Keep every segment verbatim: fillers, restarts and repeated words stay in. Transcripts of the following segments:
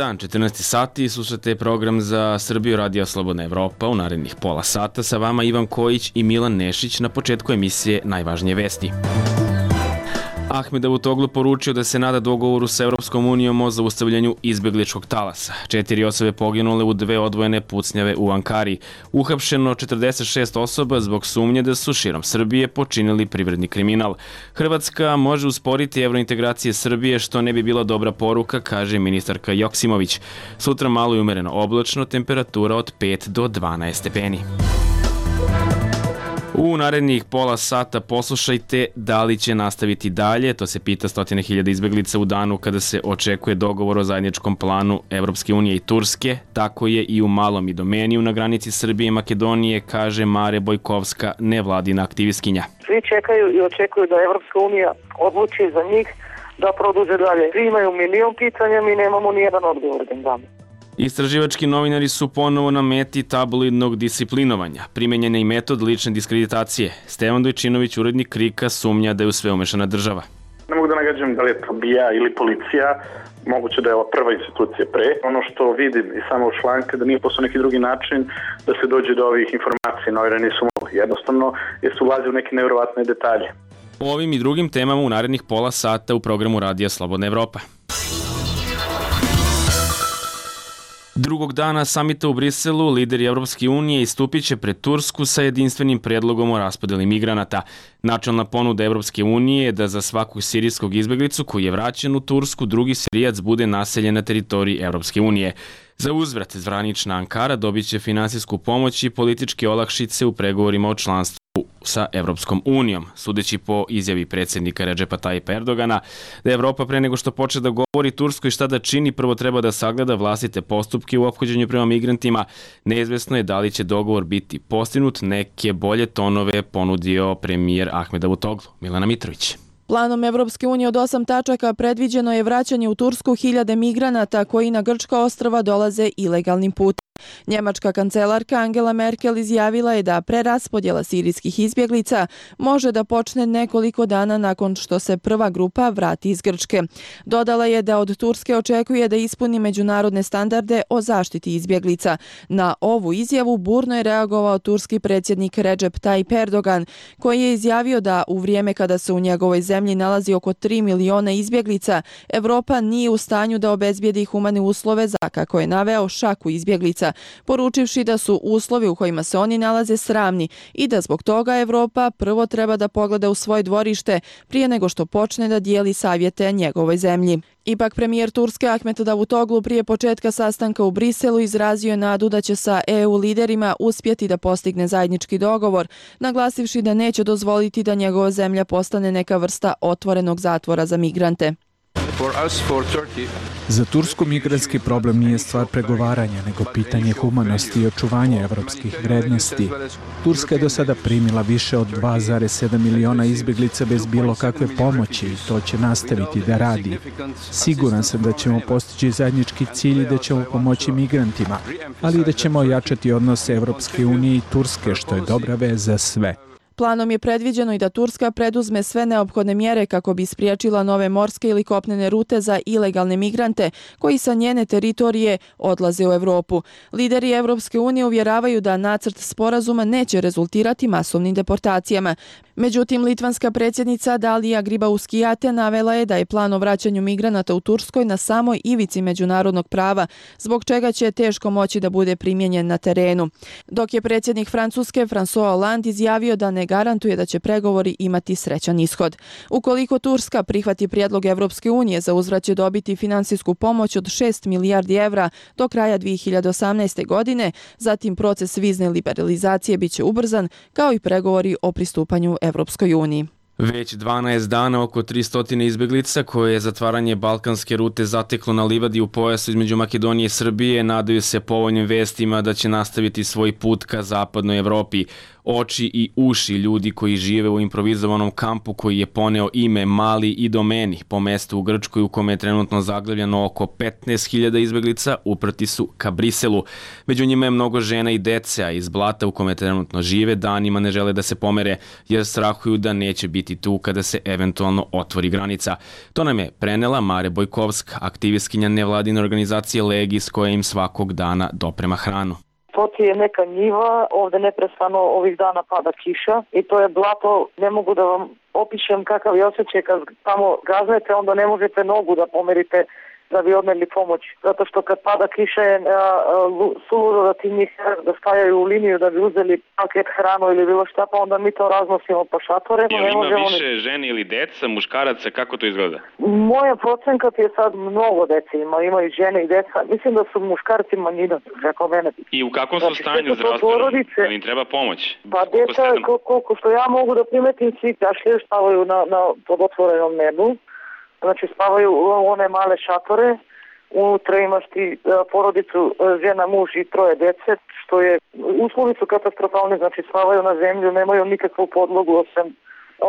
dan, četrnaesti sati, slušate program za Srbiju Radio Slobodna Evropa. U narednih pola sata sa vama Ivan Kojić i Milan Nešić. Na početku emisije najvažnije vesti. Ahmed Davutoglu poručio da se nada dogovoru sa Evropskom unijom o zaustavljanju izbegličkog talasa. Četiri osobe poginule u dve odvojene pucnjave u Ankari. Uhapšeno četrdeset šest osoba zbog sumnje da su širom Srbije počinili privredni kriminal. Hrvatska može usporiti evrointegracije Srbije, što ne bi bila dobra poruka, kaže ministarka Joksimović. Sutra malo i umereno oblačno, temperatura od pet do dvanaest stepeni. U narednih pola sata poslušajte da li će nastaviti dalje. To se pita stotine hiljada izbeglica u danu kada se očekuje dogovor o zajedničkom planu Evropske unije i Turske. Tako je i u Malom Idomeniju na granici Srbije i Makedonije, kaže Mare Bojkovska, nevladina aktivistkinja. Svi čekaju i očekuju da Evropska unija odluči za njih da produže dalje. Svi imaju milion pitanja, mi nemamo nijedan odgovor da im damo. Istraživački novinari su ponovo na meti tabloidnog disciplinovanja. Primenjen je i metod lične diskreditacije. Stevan Dojčinović, urednik Krika, sumnja da je u sve umešana država. Ne mogu da nagađam da li je to B I A ili policija, moguće da je ova prva institucija pre. Ono što vidim i samo u članke da nije posao neki drugi način da se dođe do ovih informacija, novinari nisu mogli. Jednostavno jer su ulazi u neke nevjerovatne detalje. O ovim i drugim temama u narednih pola sata u programu Radija Slobodna Evropa. Drugog dana samita u Briselu lideri Evropske unije istupit će pred Tursku sa jedinstvenim predlogom o raspodeli migranata. Načelna ponuda Evropske unije je da za svakog sirijskog izbeglicu koji je vraćen u Tursku, drugi Sirijac bude naseljen na teritoriji Evropske unije. Za uzvrat, zvanična Ankara dobit će finansijsku pomoć i političke olakšice u pregovorima o članstvu sa Evropskom unijom. Sudeći po izjavi predsjednika Redžepa Tajipa Erdogana da Evropa pre nego što počne da govori Turskoj šta da čini, prvo treba da sagleda vlastite postupke u ophođenju prema migrantima. Neizvesno je da li će dogovor biti postignut. Neke bolje tonove ponudio premijer Ahmed Davutoglu. Milana Mitrović. Planom Evropske unije od osam tačaka predviđeno je vraćanje u Tursku hiljade migranata koji na grčka ostrva dolaze ilegalnim putem. Njemačka kancelarka Angela Merkel izjavila je da preraspodjela sirijskih izbjeglica može da počne nekoliko dana nakon što se prva grupa vrati iz Grčke. Dodala je da od Turske očekuje da ispuni međunarodne standarde o zaštiti izbjeglica. Na ovu izjavu burno je reagovao turski predsjednik Recep Tayyip Erdogan, koji je izjavio da u vrijeme kada se u njegovoj zemlji nalazi oko tri miliona izbjeglica, Evropa nije u stanju da obezbijedi humane uslove za, kako je naveo, šaku izbjeglica, poručivši da su uslovi u kojima se oni nalaze sramni i da zbog toga Evropa prvo treba da pogleda u svoje dvorište prije nego što počne da dijeli savjete njegovoj zemlji. Ipak premijer Turske Ahmed Davutoglu prije početka sastanka u Briselu izrazio je nadu da će sa E U liderima uspjeti da postigne zajednički dogovor, naglasivši da neće dozvoliti da njegova zemlja postane neka vrsta otvorenog zatvora za migrante. Za Tursku migrantski problem nije stvar pregovaranja, nego pitanje humanosti i očuvanja evropskih vrednosti. Turska je do sada primila više od dva zarez sedam miliona izbjeglica bez bilo kakve pomoći i to će nastaviti da radi. Siguran sam da ćemo postići zajednički cilj i da ćemo pomoći migrantima, ali i da ćemo ojačati odnose Evropske unije i Turske, što je dobra vez za sve. Planom je predviđeno i da Turska preduzme sve neophodne mjere kako bi spriječila nove morske ili kopnene rute za ilegalne migrante koji sa njene teritorije odlaze u Evropu. Lideri Evropske unije uvjeravaju da nacrt sporazuma neće rezultirati masovnim deportacijama. Međutim, litvanska predsjednica Dalija Grybauskaitė navela je da je plan o vraćanju migranata u Turskoj na samoj ivici međunarodnog prava, zbog čega će teško moći da bude primijenjen na terenu. Dok je predsjednik Francuske François Hollande izjavio da ne garantuje da će pregovori imati srećan ishod. Ukoliko Turska prihvati prijedlog Evropske unije, za uzvrat će dobiti finansijsku pomoć od šest milijardi evra do kraja dvije hiljade osamnaeste. godine, zatim proces vizne liberalizacije biće ubrzan, kao i pregovori o pristupanju Evropskoj uniji. Već dvanaest dana oko tristo izbeglica koje je zatvaranje balkanske rute zateklo na livadi u pojasu između Makedonije i Srbije nadaju se povoljnim vestima da će nastaviti svoj put ka zapadnoj Evropi. Oči i uši ljudi koji žive u improvizovanom kampu koji je poneo ime Mali Idomeni po mestu u Grčkoj u kome je trenutno zaglavljeno oko petnaest hiljada izbeglica uprti su ka Briselu. Među njima je mnogo žena i dece, a iz blata u kome trenutno žive danima ne žele da se pomere jer strahuju da neće biti biti tu kada se eventualno otvori granica. To nam je prenela Mare Bojkovska, aktivistkinja nevladine organizacije Legis koja im svakog dana doprema hranu. To ti je neka njiva, ovde neprestano ovih dana pada kiša i to je blato, ne mogu da vam opišem kakav je osjećaj kad tamo gaznete, onda ne možete nogu da pomerite da bi odneli pomoć. Zato što kad pada kiša je suludo da ti njih da stajaju u liniju da bi uzeli paket hranu ili bilo šta, pa onda mi to raznosimo po šatore. Jel ima više ni... žene ili deca, muškaraca, kako to izgleda? Moja procenka je sad mnogo dece ima, imaju žene i deca. Mislim da su muškarci manjina, rekao mene. I u kakvom su znači, stanju zdravstvenom? Da im treba pomoć? Pa deca, koliko što ja mogu da primetim, svi kašlje stavaju na, na pod otvorenom nebu. Znači spavaju u one male šatore, unutra imaš ti porodicu, žena, muž i troje dece, što je, uslovi su katastrofalni, znači spavaju na zemlju, nemaju nikakvu podlogu osim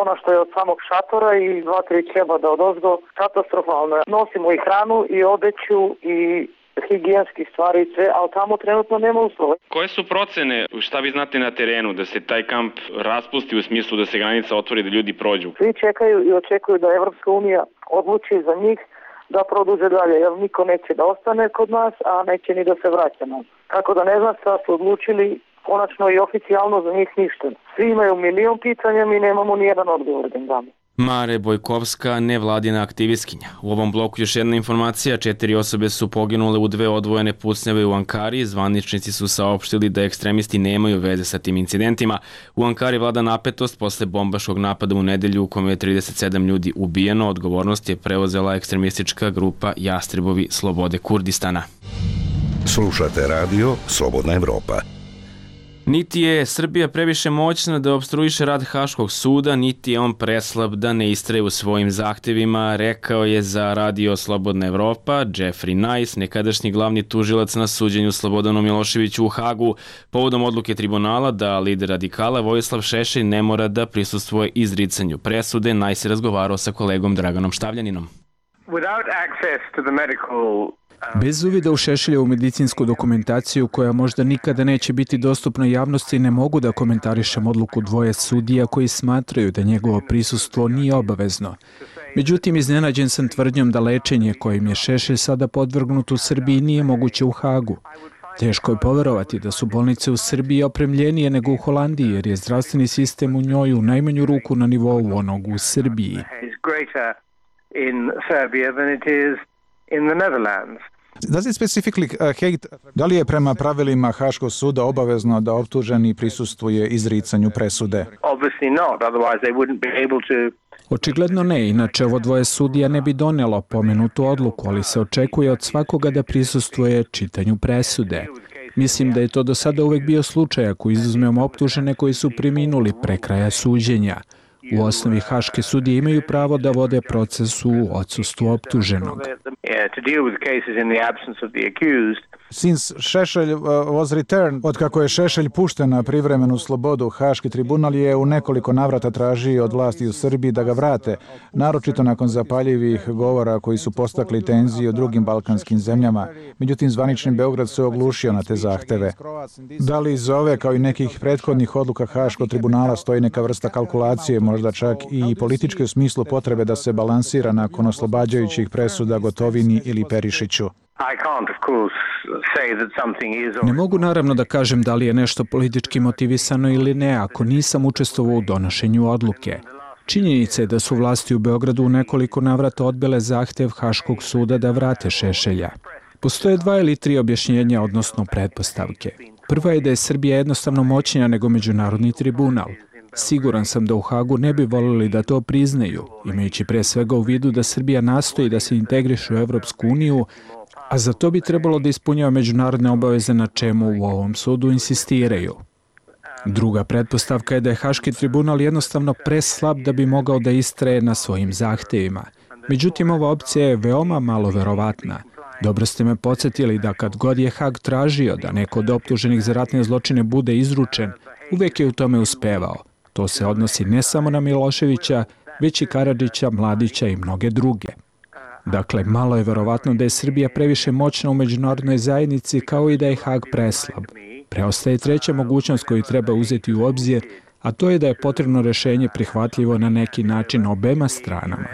ona što je od samog šatora i dva, tri kebada od ozgo, katastrofalno. Nosimo i hranu i odeću i higijenskih stvari i sve, ali tamo trenutno nema uslova. Koje su procene, šta vi znate na terenu, da se taj kamp raspusti u smislu da se granica otvori, da ljudi prođu? Svi čekaju i očekuju da Evropska unija odluči za njih da produže dalje, jer niko neće da ostane kod nas, a neće ni da se vraća nas. Tako da ne znam šta su odlučili, konačno i oficijalno za njih ništa. Svi imaju milion pitanja, mi nemamo ni jedan odgovor da im damo. Mare Bojkovska, nevladina aktivistkinja. U ovom bloku još jedna informacija, četiri osobe su poginule u dve odvojene pucnjave u Ankari. Zvaničnici su saopštili da ekstremisti nemaju veze sa tim incidentima. U Ankari vlada napetost posle bombaškog napada u nedelju u kome je trideset sedam ljudi ubijeno. Odgovornost je preuzela ekstremistička grupa Jastrebovi slobode Kurdistana. Slušate radio Slobodna Evropa. Niti je Srbija previše moćna da opstruiše rad Haškog suda, niti je on preslab da ne istraje u svojim zahtevima, rekao je za radio Slobodna Evropa Jeffrey Nice, nekadašnji glavni tužilac na suđenju Slobodanu Miloševiću u Hagu, povodom odluke tribunala da lider radikala Vojislav Šešelj ne mora da prisustvuje izricanju presude. Nice je razgovarao sa kolegom Draganom Štavljaninom. Without access to the medical Bez uvida u Šešeljevu medicinsku dokumentaciju koja možda nikada neće biti dostupna javnosti, ne mogu da komentarišem odluku dvoje sudija koji smatraju da njegovo prisustvo nije obavezno. Međutim, iznenađen sam tvrdnjom da lečenje kojim je Šešelj sada podvrgnut u Srbiji nije moguće u Hagu. Teško je poverovati da su bolnice u Srbiji opremljenije nego u Holandiji, jer je zdravstveni sistem u njoj u najmanju ruku na nivou onog u Srbiji. In the Netherlands. Does it specifically uh, hate, da li je prema pravilima Haškog suda obavezno da optuženi prisustvuje izricanju presude? Obviously not, otherwise they wouldn't be able to. Očigledno ne, inače ovo dvoje sudija ne bi donelo pomenutu odluku, ali se očekuje od svakoga da prisustvuje čitanju presude. Mislim da je to do sada uvek bio slučaj ako izuzmemo optužene koji su preminuli pre kraja suđenja. U osnovi haške sudije imaju pravo da vode proces u odsustvu optuženog. Since Šešelj was returned, od kako je Šešelj pušten na privremenu slobodu, Haški tribunal je u nekoliko navrata tražio od vlasti u Srbiji da ga vrate, naročito nakon zapaljivih govora koji su postakli tenzije u drugim balkanskim zemljama. Međutim, zvanični Beograd se oglušio na te zahteve. Da li iz ove, kao i nekih prethodnih odluka Haškog tribunala, stoji neka vrsta kalkulacije, možda čak i političke u smislu potrebe da se balansira nakon oslobađajućih presuda Gotovini ili Perišiću? Ne mogu naravno da kažem da li je nešto politički motivisano ili ne ako nisam učestvovao u donošenju odluke. Činjenica je da su vlasti u Beogradu u nekoliko navrata odbile zahtev Haškog suda da vrate Šešelja. Postoje dva ili tri objašnjenja, odnosno pretpostavke. Prva je da je Srbija jednostavno moćnija nego međunarodni tribunal. Siguran sam da u Hagu ne bi voljeli da to priznaju, imajući pre svega u vidu da Srbija nastoji da se integriše u Evropsku uniju, a za to bi trebalo da ispunjava međunarodne obaveze na čemu u ovom sudu insistiraju. Druga pretpostavka je da je Haški tribunal jednostavno preslab da bi mogao da istraje na svojim zahtevima. Međutim, ova opcija je veoma malo verovatna. Dobro ste me podsjetili da kad god je Hag tražio da neko od optuženih za ratne zločine bude izručen, uvek je u tome uspevao. To se odnosi ne samo na Miloševića, već i Karadžića, Mladića i mnoge druge. Dakle, malo je verovatno da je Srbija previše moćna u međunarodnoj zajednici kao i da je Hag preslab. Preostaje treća mogućnost koju treba uzeti u obzir, a to je da je potrebno rešenje prihvatljivo na neki način obema stranama.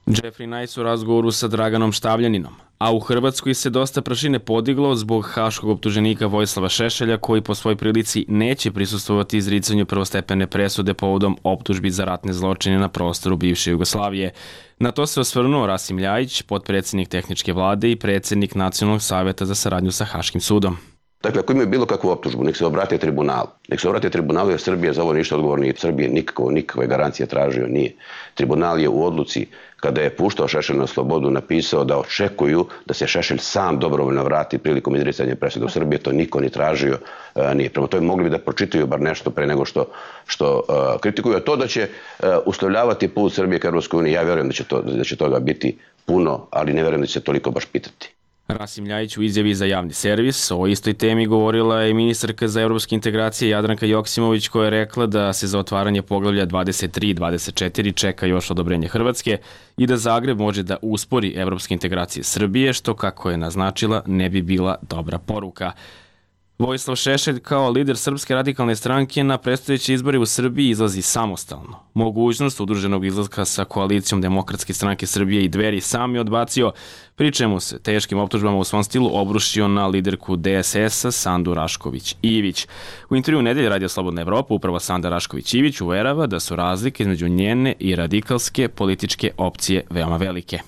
Jeffrey Nice u razgovoru sa Draganom Štavljaninom. A u Hrvatskoj se dosta prašine podiglo zbog haškog optuženika Vojislava Šešelja, koji po svoj prilici neće prisustvovati izricanju prvostepene presude povodom optužbi za ratne zločine na prostoru bivše Jugoslavije. Na to se osvrnuo Rasim Ljajić, potpredsjednik tehničke vlade i predsjednik Nacionalnog savjeta za saradnju sa Haškim sudom. Dakle, ako imaju bilo kakvu optužbu, nek se obrate tribunalu. Nek se obrate tribunalu jer Srbija za ovo ništa odgovorna nije. Srbije nikakvo, nikakve garancije tražio nije. Tribunal je u odluci, kada je puštao Šešelj na slobodu, napisao da očekuju da se Šešelj sam dobrovoljno vrati prilikom izricanja presude u Srbije. To niko ni tražio uh, nije. Prema tome mogli bi da pročitaju bar nešto pre nego što, što uh, kritikuju. A to da će uh, uslovljavati put Srbije ka Europskoj uniji, ja vjerujem da će, to, da će toga biti puno, ali ne vjerujem da će se toliko baš pitati. Rasim Ljajić u izjavi za javni servis o istoj temi govorila je ministarka za evropske integracije Jadranka Joksimović, koja je rekla da se za otvaranje poglavlja dvadeset tri i dvadeset četiri čeka još odobrenje Hrvatske i da Zagreb može da uspori evropske integracije Srbije, što, kako je naznačila, ne bi bila dobra poruka. Vojislav Šešelj kao lider Srpske radikalne stranke na predstojeće izbore u Srbiji izlazi samostalno. Mogućnost udruženog izlaska sa koalicijom Demokratske stranke Srbije i Dveri sam je odbacio, pri čemu se teškim optužbama u svom stilu obrušio na liderku D S S-a Sandu Rašković-Ivić. U intervju Nedelje Radio Slobodna Evropa upravo Sanda Rašković-Ivić uverava da su razlike između njene i radikalske političke opcije veoma velike.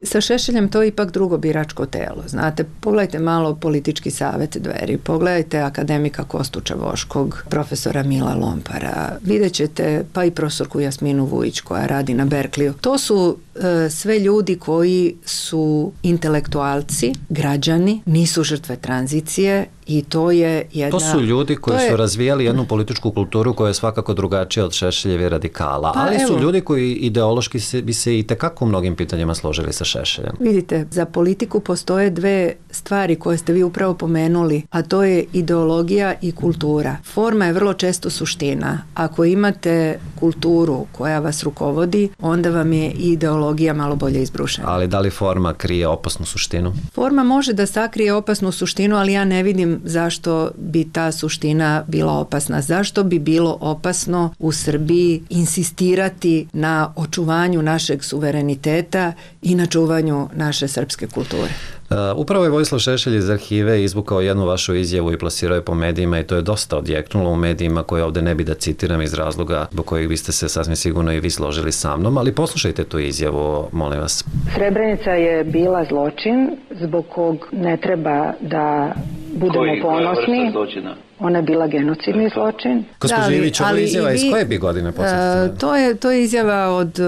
Sa Šešeljem to je ipak drugo biračko telo. Znate, pogledajte malo politički savjet Dveri, pogledajte akademika Kostuča Voškog, profesora Mila Lompara, vidjet ćete pa i profesorku Jasminu Vujić koja radi na Berkliju. To su e, sve ljudi koji su intelektualci, građani, nisu žrtve tranzicije i to je jedna... To su ljudi koji je, su razvijali jednu političku kulturu koja je svakako drugačija od Šešeljeve radikala, pa ali evo, su ljudi koji ideološki se, bi se i tekako u mnogim pitanjima složili sa Šešeljem. Vidite, za politiku postoje dve stvari koje ste vi upravo pomenuli, a to je ideologija i kultura. Forma je vrlo često suština. Ako imate kulturu koja vas rukovodi, onda vam je i ideologija malo bolje izbrušena. Ali da li forma krije opasnu suštinu? Forma može da sakrije opasnu suštinu, ali ja ne vidim zašto bi ta suština bila opasna. Zašto bi bilo opasno u Srbiji insistirati na očuvanju našeg suvereniteta i na čuvanju naše srpske kulture? Uh, upravo je Vojislav Šešelj iz arhive izvukao jednu vašu izjavu i plasirao je po medijima i to je dosta odjeknulo u medijima koje ovde ne bi da citiram iz razloga zbog kojih biste se sasvim sigurno i vi složili sa mnom, ali poslušajte tu izjavu, molim vas. Srebrenica je bila zločin zbog kog ne treba da budemo Koji, ponosni. Ona je bila genocidni zločin. Gospođo da, Ivić, ovo izjava vi, iz koje bi godine posjetite? Uh, to, je, to je izjava od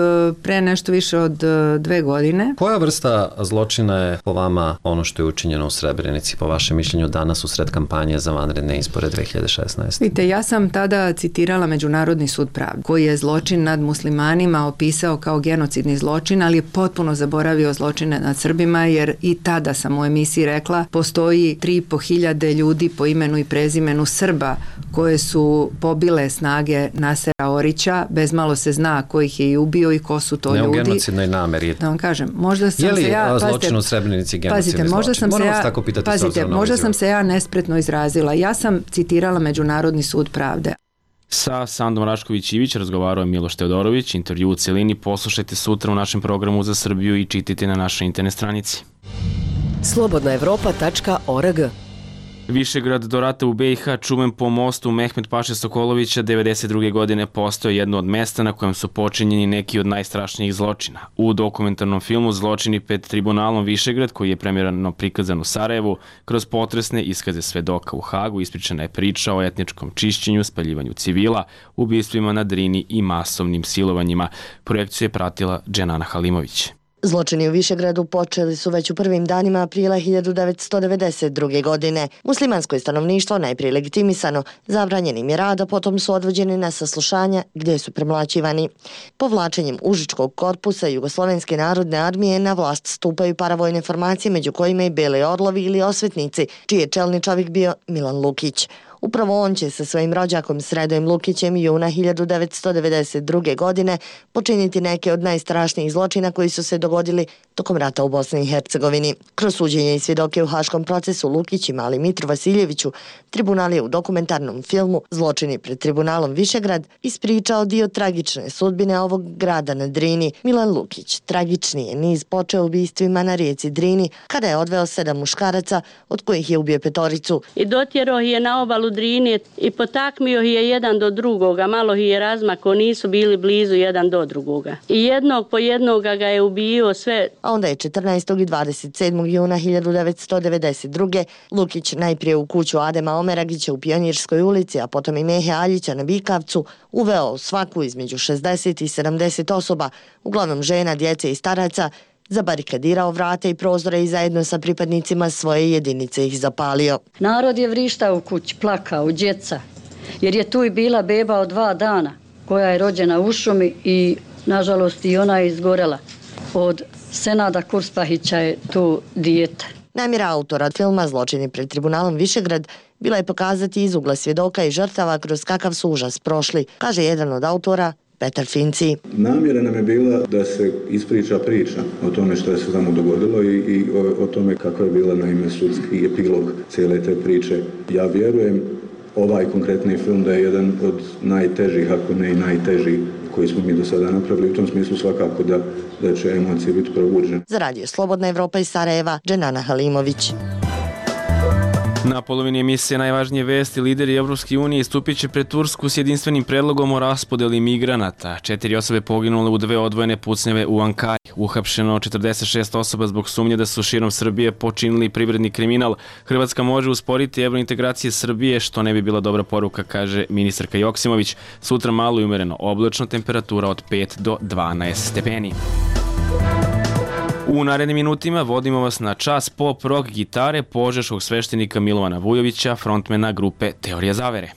pre nešto više od uh, dve godine. Koja vrsta zločina je po vama ono što je učinjeno u Srebrenici, po vašem mišljenju danas u sred kampanje za vanredne izbore dve hiljade šesnaeste? Vidite, ja sam tada citirala Međunarodni sud pravde, koji je zločin nad muslimanima opisao kao genocidni zločin, ali je potpuno zaboravio zločine nad Srbima, jer i tada sam u emisiji rekla, postoji tri i po hiljade ljudi po imenu i prezimenu Srba koje su pobile snage Nasera Orića, bez malo se zna ko ih je i ubio i ko su to ne ljudi. Ne u genocidnoj nameri. Da vam kažem, možda sam je li se ja... zločin u Srebrenici genocidni možda zločin? Sam Moram se vas ja, tako pitati pazite, možda sam se ja nespretno izrazila. Ja sam citirala Međunarodni sud pravde. Sa Sandom Rašković-Ivić razgovarao je Miloš Teodorović. Intervju u celini poslušajte sutra u našem programu za Srbiju i čitajte na našoj internet stranici. slobodna evropa tačka org. Višegrad do rata u B i H, čuven po mostu Mehmet Paše Sokolovića, devedeset druge godine postao jedno od mesta na kojem su počinjeni neki od najstrašnijih zločina. U dokumentarnom filmu Zločini pred tribunalom Višegrad, koji je premijerno prikazan u Sarajevu, kroz potresne iskaze svedoka u Hagu ispričana je priča o etničkom čišćenju, spaljivanju civila, ubistvima na Drini i masovnim silovanjima. Projekciju je pratila Dženana Halimović. Zločini u Višegradu počeli su već u prvim danima aprila hiljadu devetsto devedeset druge. godine. Muslimansko je stanovništvo najprije legitimisano, zabranjenim je rad, a potom su odvođeni na saslušanja gdje su premlaćivani. Povlačenjem Užičkog korpusa Jugoslovenske narodne armije na vlast stupaju paravojne formacije, među kojima i Beli orlovi ili osvetnici, čiji je čelni čovjek bio Milan Lukić. Upravo on će sa svojim rođakom Sredojem Lukićem juna hiljadu devetsto devedeset druge. godine počiniti neke od najstrašnijih zločina koji su se dogodili tokom rata u Bosni i Hercegovini. Kroz suđenje i svjedoke u haškom procesu Lukić i mali Mitru Vasiljeviću, tribunal je u dokumentarnom filmu Zločini pred tribunalom Višegrad ispričao dio tragične sudbine ovog grada na Drini. Milan Lukić tragični je niz počeo ubistvima na rijeci Drini kada je odveo sedam muškaraca od kojih je ubio petoricu. I dotjerao je na obalu Drine i potakmio je jedan do drugoga, malo je razmako, nisu bili blizu jedan do drugoga. I jednog po jednoga ga je ubio sve. A onda je četrnaestog i dvadeset sedmog juna hiljadu devetsto devedeset druge. Lukić najprije u kuću Adema Omeragića u Pionirskoj ulici, a potom i Mehe Aljića na Bikavcu, uveo svaku između šezdeset i sedamdeset osoba, uglavnom žena, djece i staraca, zabarikadirao vrate i prozore i zajedno sa pripadnicima svoje jedinice ih zapalio. Narod je vrištao u kući, plakao, djeca, jer je tu i bila beba od dva dana, koja je rođena u šumi i, nažalost, i ona je izgorela. Od Senada Kurspahića je tu dijete. Namjera autora filma Zločini pred tribunalom Višegrad bila je pokazati iz ugla svjedoka i žrtava kroz kakav su užas prošli, kaže jedan od autora, Petar Finci. Namjera nam je bila da se ispriča priča o tome što je se tamo dogodilo i, i o, o tome kako je bila naime sudski epilog cijele te priče. Ja vjerujem ovaj konkretni film da je jedan od najtežih, ako ne i najteži koji smo mi do sada napravili. U tom smislu svakako da, da će emocije biti probuđene. Za radio Slobodna Evropa iz Sarajeva, Dženana Halimović. Na polovini emisije najvažnije vesti, lideri Evropske unije istupit će pred Tursku s jedinstvenim predlogom o raspodeli migranata. Četiri osobe poginule u dve odvojene pucnjave u Ankari. Uhapšeno četrdeset šest osoba zbog sumnje da su širom Srbije počinili privredni kriminal. Hrvatska može usporiti evrointegracije Srbije, što ne bi bila dobra poruka, kaže ministarka Joksimović. Sutra malo i umereno oblačno, temperatura od pet do dvanaest stepeni. U narednim minutima vodimo vas na čas pop rock gitare požeškog sveštenika Milovana Vujovića, frontmena grupe Teorija zavere.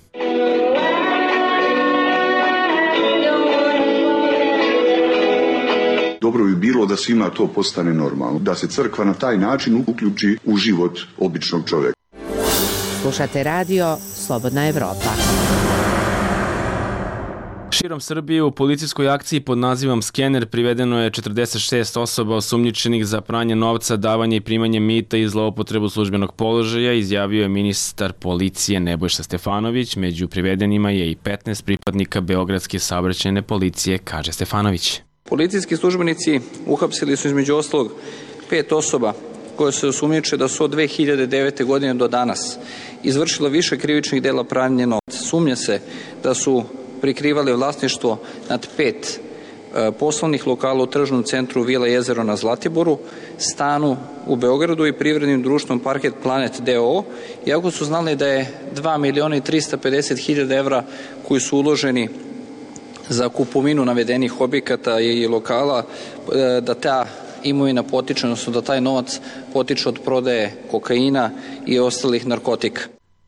Dobro bi bilo da svima to postane normalno, da se crkva na taj način uključi u život običnog čovjeka. Slušate radio Slobodna Evropa. Širom Srbije u policijskoj akciji pod nazivom Skener privedeno je četrdeset šest osoba osumnjičenih za pranje novca, davanje i primanje mita i zloupotrebu službenog položaja, izjavio je ministar policije Nebojša Stefanović. Među privedenima je i petnaest pripadnika Beogradske saobraćajne policije, kaže Stefanović. Policijski službenici uhapsili su između ostalog pet osoba koje se osumnjiče da su od dve hiljade devete. godine do danas izvršila više krivičnih dela pranja novca. Sumnja se da su prikrivali vlasništvo nad pet e, poslovnih lokala u tržnom centru Vila Jezero na Zlatiboru, stanu u Beogradu i privrednim društvom Parket Planet d o o, iako su znali da je dva miliona i trista pedeset hiljada evra koji su uloženi za kupovinu navedenih objekata i lokala, e, da ta imovina potiče, odnosno da taj novac potiče od prodaje kokaina i ostalih narkotika.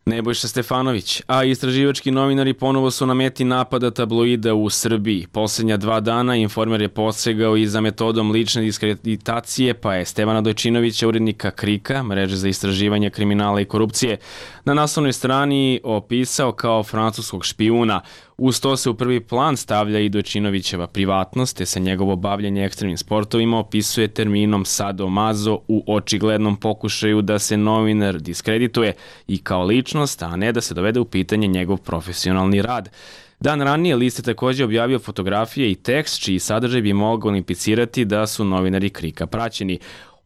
Nebojša Stefanović, a istraživački novinari ponovo su na meti napada tabloida u Srbiji. Poslednja dva dana Informer je posegao i za metodom lične diskreditacije, pa je Stevana Dojčinovića, urednika Krika, mreže za istraživanje kriminala i korupcije, na naslovnoj strani opisao kao francuskog špijuna. Uz to se u prvi plan stavlja i Dojčinovićeva privatnost, te se njegovo bavljenje ekstremnim sportovima opisuje terminom sadomazo u očiglednom pokušaju da se novinar diskredituje i kao ličnost, a ne da se dovede u pitanje njegov profesionalni rad. Dan ranije list je također objavio fotografije i tekst čiji sadržaj bi mogao implicirati da su novinari Krika praćeni.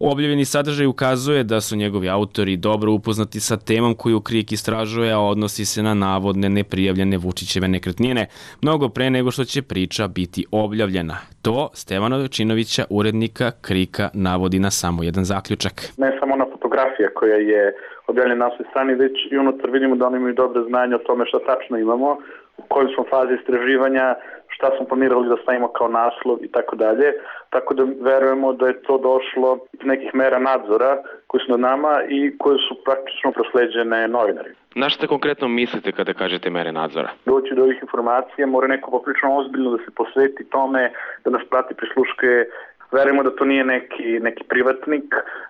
Objavljeni sadržaj ukazuje da su njegovi autori dobro upoznati sa temom koju Krik istražuje, a odnosi se na navodne neprijavljene Vučićeve nekretnine, mnogo pre nego što će priča biti objavljena. To Stevana Dojčinovića, urednika Krika, navodi na samo jedan zaključak. Ne samo na fotografija koja je objavljena na svoj strani, već i unutar vidimo da oni imaju dobro znanje o tome šta tačno imamo, u kojoj smo fazi istraživanja, šta smo planirali da stavimo kao naslov i tako dalje. Tako da verujemo da je to došlo iz nekih mera nadzora koji su nad nama i koje su praktično prosleđene novinari. Na šta konkretno mislite kada kažete mere nadzora? Doći do ovih informacija mora neko poprično ozbiljno da se posveti tome, da nas prati, prisluškuje. Verujemo da to nije neki, neki privatnik,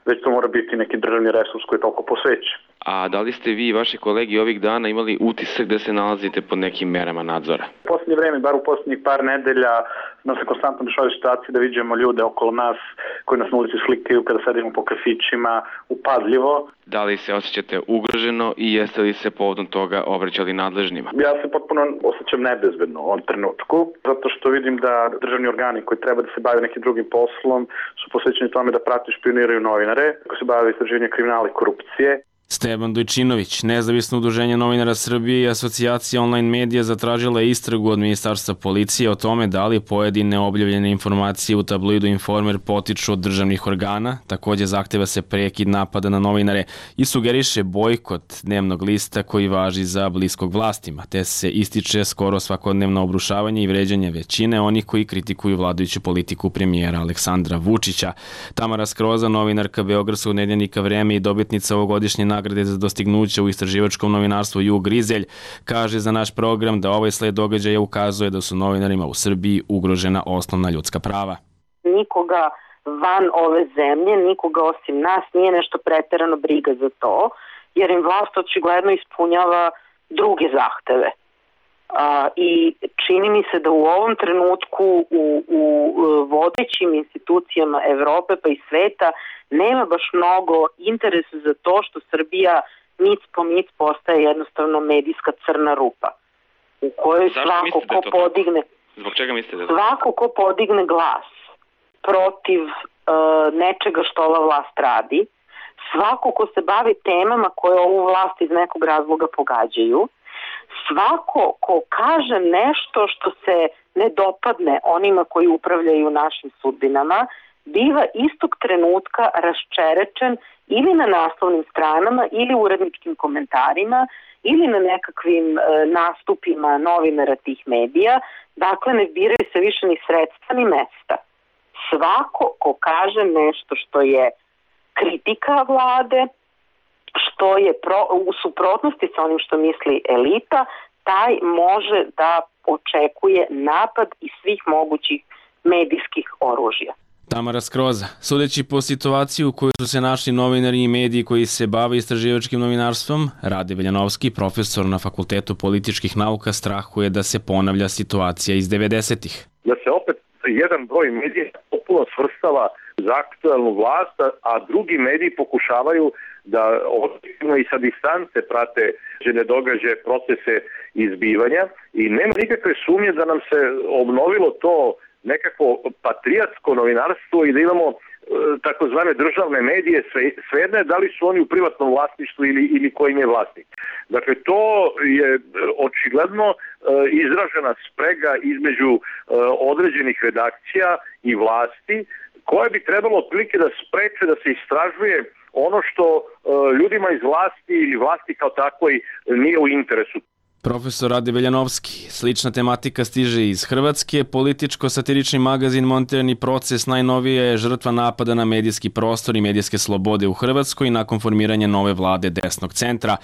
već to mora biti neki državni resurs koji je toliko posvećen. A da li ste vi i vaši kolegi ovih dana imali utisak da se nalazite pod nekim merama nadzora? U posljednje vreme, bar u posljednjih par nedelja, nam se konstantno dešavaju situacije da vidimo ljude okolo nas koji nas na ulici slikaju kada sedimo po kafićima, upadljivo. Da li se osjećate ugroženo i jeste li se povodom toga obraćali nadležnima? Ja se potpuno osjećam nebezbedno u ovom trenutku, zato što vidim da državni organi koji treba da se bave nekim drugim poslom su posvećeni tome da prate i špioniraju novinare koji se bave istraživanjem kriminala i korupcije. Stevan Dojčinović, nezavisno udruženje novinara Srbije i asocijacija online medija zatražila je istragu od Ministarstva policije o tome da li pojedine objavljene informacije u tabloidu Informer potiču od državnih organa, takođe zahteva se prekid napada na novinare i sugeriše bojkot dnevnog lista koji važi za bliskog vlastima, te se ističe skoro svakodnevno obrušavanje i vređanje većine onih koji kritikuju vladajuću politiku premijera Aleksandra Vučića. Tamara Skroza, novinarka Beogradskog nedeljnika Vreme i dobitnica ovogodišnje nagrade za dostignuće u istraživačkom novinarstvu Jug Rizelj, kaže za naš program da ovaj sled događaja ukazuje da su novinarima u Srbiji ugrožena osnovna ljudska prava. Nikoga van ove zemlje, nikoga osim nas nije nešto preterano briga za to, jer im vlast očigledno ispunjava druge zahteve. A, I čini mi se da u ovom trenutku u, u vodećim institucijama Evrope pa i sveta nema baš mnogo interesa za to što Srbija mic po mic postaje jednostavno medijska crna rupa u kojoj svako ko podigne Zbog čega mislite da svako ko podigne glas protiv uh, nečega što ova vlast radi, svako ko se bavi temama koje ovu vlast iz nekog razloga pogađaju, svako ko kaže nešto što se ne dopadne onima koji upravljaju našim sudbinama, biva istog trenutka raščerečen ili na naslovnim stranama ili u uredničkim komentarima ili na nekakvim e, nastupima novinara tih medija. Dakle, ne biraju se više ni sredstva ni mesta. Svako ko kaže nešto što je kritika vlade, što je pro, u suprotnosti sa onim što misli elita, taj može da očekuje napad iz svih mogućih medijskih oružja. Tamara Skroza, sudeći po situaciji u kojoj su se našli novinari i mediji koji se bave istraživačkim novinarstvom, Rade Veljanovski, profesor na Fakultetu političkih nauka, strahuje da se ponavlja situacija iz devedesetih. Da se opet jedan broj medija popuno svrstava za aktuelnu vlast, a drugi mediji pokušavaju da objektivno i sa distance prate žene događaje, procese izbivanja i nema nikakve sumnje da nam se obnovilo to nekako patriotsko novinarstvo i da imamo e, takozvane državne medije, sve, svejedno je da li su oni u privatnom vlasništvu ili, ili kojim je vlasnik. Dakle, to je očigledno e, izražena sprega između e, određenih redakcija i vlasti, koje bi trebalo otprilike da spreče da se istražuje ono što e, ljudima iz vlasti ili vlasti kao takvoj nije u interesu. Profesor Rade Veljanovski, slična tematika stiže iz Hrvatske. Političko-satirični magazin Montirani proces najnovija je žrtva napada na medijski prostor i medijske slobode u Hrvatskoj nakon formiranja nove vlade desnog centra.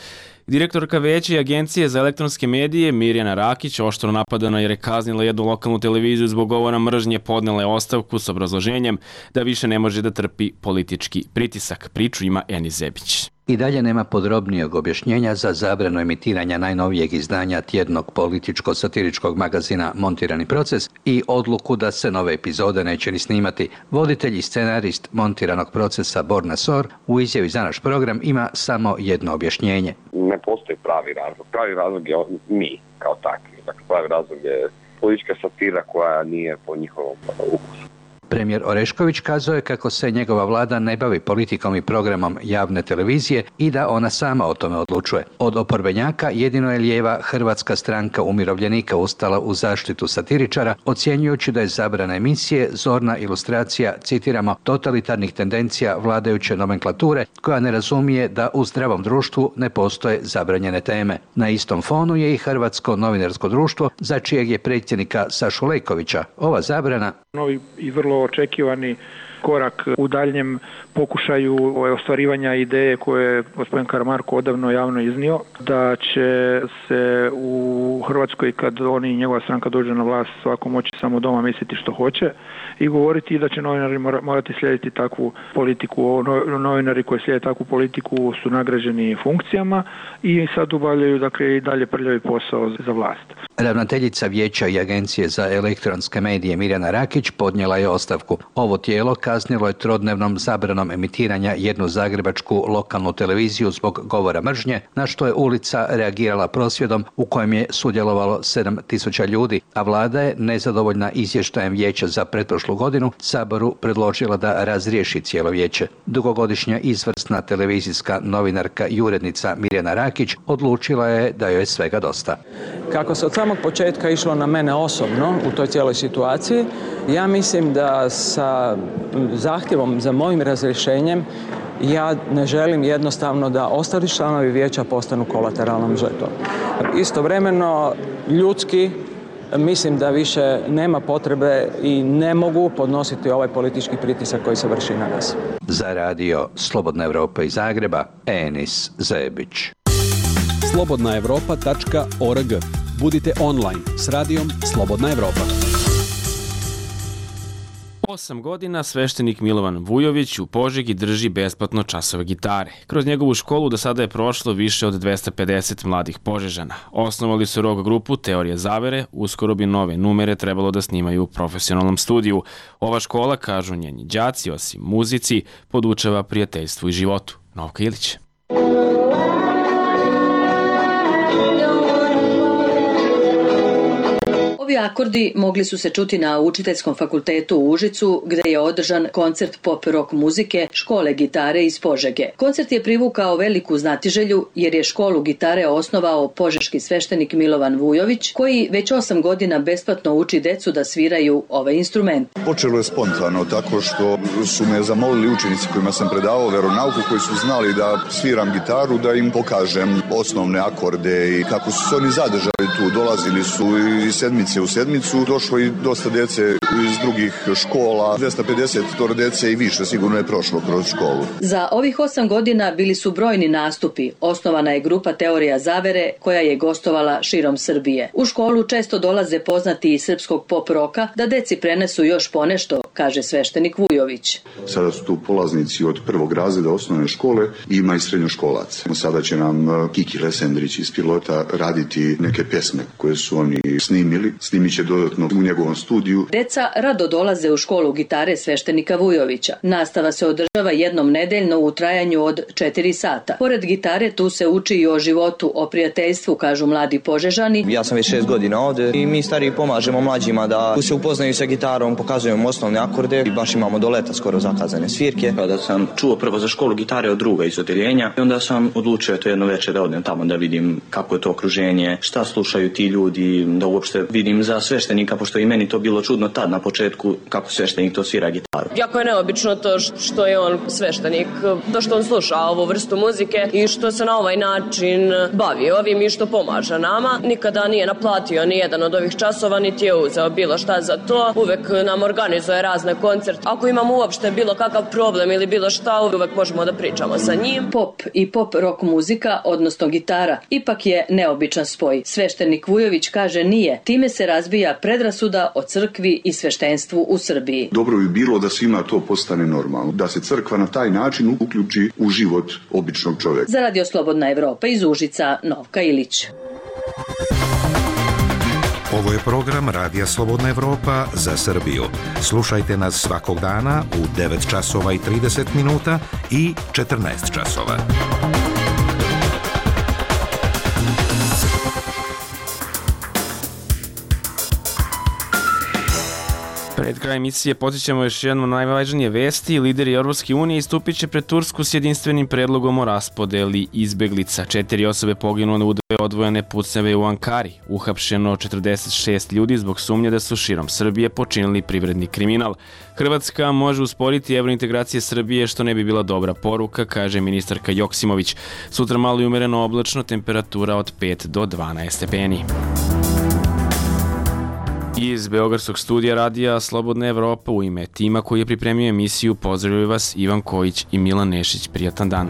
Direktorka Veća i Agencije za elektronske medije Mirjana Rakić oštro napadana jer je kaznila jednu lokalnu televiziju zbog govora mržnje, podnela je ostavku s obrazloženjem da više ne može da trpi politički pritisak. Priču ima Eni Zebić. I dalje nema podrobnijeg objašnjenja za zabranu emitiranja najnovijeg izdanja tjednog političko-satiričkog magazina Montirani proces i odluku da se nove epizode neće ni snimati. Voditelj i scenarist Montiranog procesa Borna Sor u izjavi za naš program ima samo jedno objašnjenje. Ne postoji pravi razlog. Pravi razlog je mi kao takvi. Dakle, pravi razlog je politička satira koja nije po njihovom ukusu. Premijer Orešković kazao je kako se njegova vlada ne bavi politikom i programom javne televizije i da ona sama o tome odlučuje. Od oporbenjaka jedino je lijeva Hrvatska stranka umirovljenika ustala u zaštitu satiričara, ocjenjujući da je zabrana emisije zorna ilustracija, citiramo, totalitarnih tendencija vladajuće nomenklature koja ne razumije da u zdravom društvu ne postoje zabranjene teme. Na istom fonu je i Hrvatsko novinarsko društvo, za čijeg je predsjednika Sašu Lejkovića ova zabrana novi i vrlo očekivani korak u daljem pokušaju ostvarivanja ideje koje je gospodin Karamarko odavno javno iznio, da će se u Hrvatskoj, kad oni i njegova stranka dođe na vlast, svako moći samo doma misliti što hoće i govoriti da će novinari morati slijediti takvu politiku. Novinari koji slijede takvu politiku su nagrađeni funkcijama i sad obavljaju dakle i dalje prljavi posao za vlast. Ravnateljica Vijeća i Agencije za elektronske medije Mirjana Rakić podnijela je ostavku. Ovo tijelo kaznilo je trodnevnom zabranom emitiranja jednu zagrebačku lokalnu televiziju zbog govora mržnje, na što je ulica reagirala prosvjedom u kojem je sudjelovalo sedam tisuća ljudi, a vlada je, nezadovoljna izvještajem Vijeća za pretprošlu godinu, Saboru predložila da razriješi cijelo vijeće. Dugogodišnja izvrsna televizijska novinarka i urednica Mirjana Rakić odlučila je da joj je svega dosta. Kako se od samog početka išlo na mene osobno u toj cijeloj situaciji, ja mislim da sa zahtjevom za mojim razrješenjem ja ne želim jednostavno da ostali članovi vijeća postanu kolateralnom žrtvom. Istovremeno, ljudski, mislim da više nema potrebe i ne mogu podnositi ovaj politički pritisak koji se vrši na nas. Za radio Slobodna Evropa iz Zagreba, Enis Zebić. slobodna evropa tačka org. Budite online s radijom Slobodna Evropa. Osam godina sveštenik Milovan Vujović u Požegi drži besplatno časove gitare. Kroz njegovu školu do sada je prošlo više od dvesta pedeset mladih Požežana. Osnovali su rock grupu Teorije zavere, uskoro bi nove numere trebalo da snimaju u profesionalnom studiju. Ova škola, kažu njeni đaci, osim muzici, podučava prijateljstvu i životu. Novka Ilić. Ovi akordi mogli su se čuti na Učiteljskom fakultetu u Užicu, gde je održan koncert pop rock muzike škole gitare iz Požege. Koncert je privukao veliku znatiželju jer je školu gitare osnovao požeški sveštenik Milovan Vujović, koji već osam godina besplatno uči decu da sviraju ovaj instrument. Počelo je spontano tako što su me zamolili učenici kojima sam predavao veronauku, koji su znali da sviram gitaru, da im pokažem osnovne akorde i kako su se oni zadržali tu. Dolazili su i sedmice u sedmicu, došlo i dosta dece iz drugih škola, dvesta pedeset dece i više sigurno je prošlo kroz školu. Za ovih osam godina bili su brojni nastupi. Osnovana je grupa Teorija zavere koja je gostovala širom Srbije. U školu često dolaze poznati iz srpskog pop roka da deci prenesu još ponešto, kaže sveštenik Vujović. Sada su tu polaznici od prvog razreda osnovne škole i ima i srednjoškolaca. Sada će nam Kiki Lesendrić iz Pilota raditi neke pesme koje su oni snimili. Snimit će dodatno u njegovom studiju. Deca rado dolaze u školu gitare sveštenika Vujovića. Nastava se održava jednom nedeljno u trajanju od četiri sata. Pored gitare tu se uči i o životu, o prijateljstvu, kažu mladi Požežani. Ja sam već šest godina ovde i mi stariji pomažemo mlađima da se upoznaju sa gitarom, pokazujemo osnovne akorde i baš imamo do leta skoro zakazane svirke. Kada sam čuo prvo za školu gitare od druga iz odeljenja i onda sam odlučio to jedno večer da odem tamo da vidim kako je to okruženje, šta slušaju ti ljudi, da uopšte vidim za sveštenika, pošto i meni to bilo čudno tad na početku kako sveštenik to svira gitaru. Jako je neobično to što je on sveštenik, to što on sluša ovu vrstu muzike i što se na ovaj način bavi ovim i što pomaže nama. Nikada nije naplatio ni jedan od ovih časova, niti je uzeo bilo šta za to. Uvek nam organizuje razne koncerte. Ako imamo uopšte bilo kakav problem ili bilo šta, uvek možemo da pričamo sa njim. Pop i pop rock muzika, odnosno gitara, ipak je neobičan spoj. Sveštenik Vujović kaže nije. Time se razbija predrasuda o crkvi i sveštenstvu u Srbiji. Dobro bi bilo da svima to postane normalno, da se crkva na taj način uključi u život običnog čovjeka. Za Radio Slobodna Evropa iz Užica, Novka Ilić. Ovo je program Radija Slobodna Evropa za Srbiju. Slušajte nas svakog dana u devet časova i trideset minuta i četrnaest časova. Pred kraj emisije podsjećamo još jedno najvažnije vesti. Lideri Evropske unije istupit će pred Tursku s jedinstvenim predlogom o raspodeli izbeglica. Četiri osobe poginule u dve odvojene pucnjave u Ankari. Uhapšeno četrdeset šest ljudi zbog sumnje da su širom Srbije počinili privredni kriminal. Hrvatska može usporiti evrointegracije Srbije, što ne bi bila dobra poruka, kaže ministarka Joksimović. Sutra malo i umereno oblačno, temperatura od pet do dvanaest stepeni. Iz Beogradskog studija radija Slobodna Evropa u ime tima koji je pripremio emisiju pozdravljaju vas Ivan Kojić i Milan Nešić. Prijatan dan.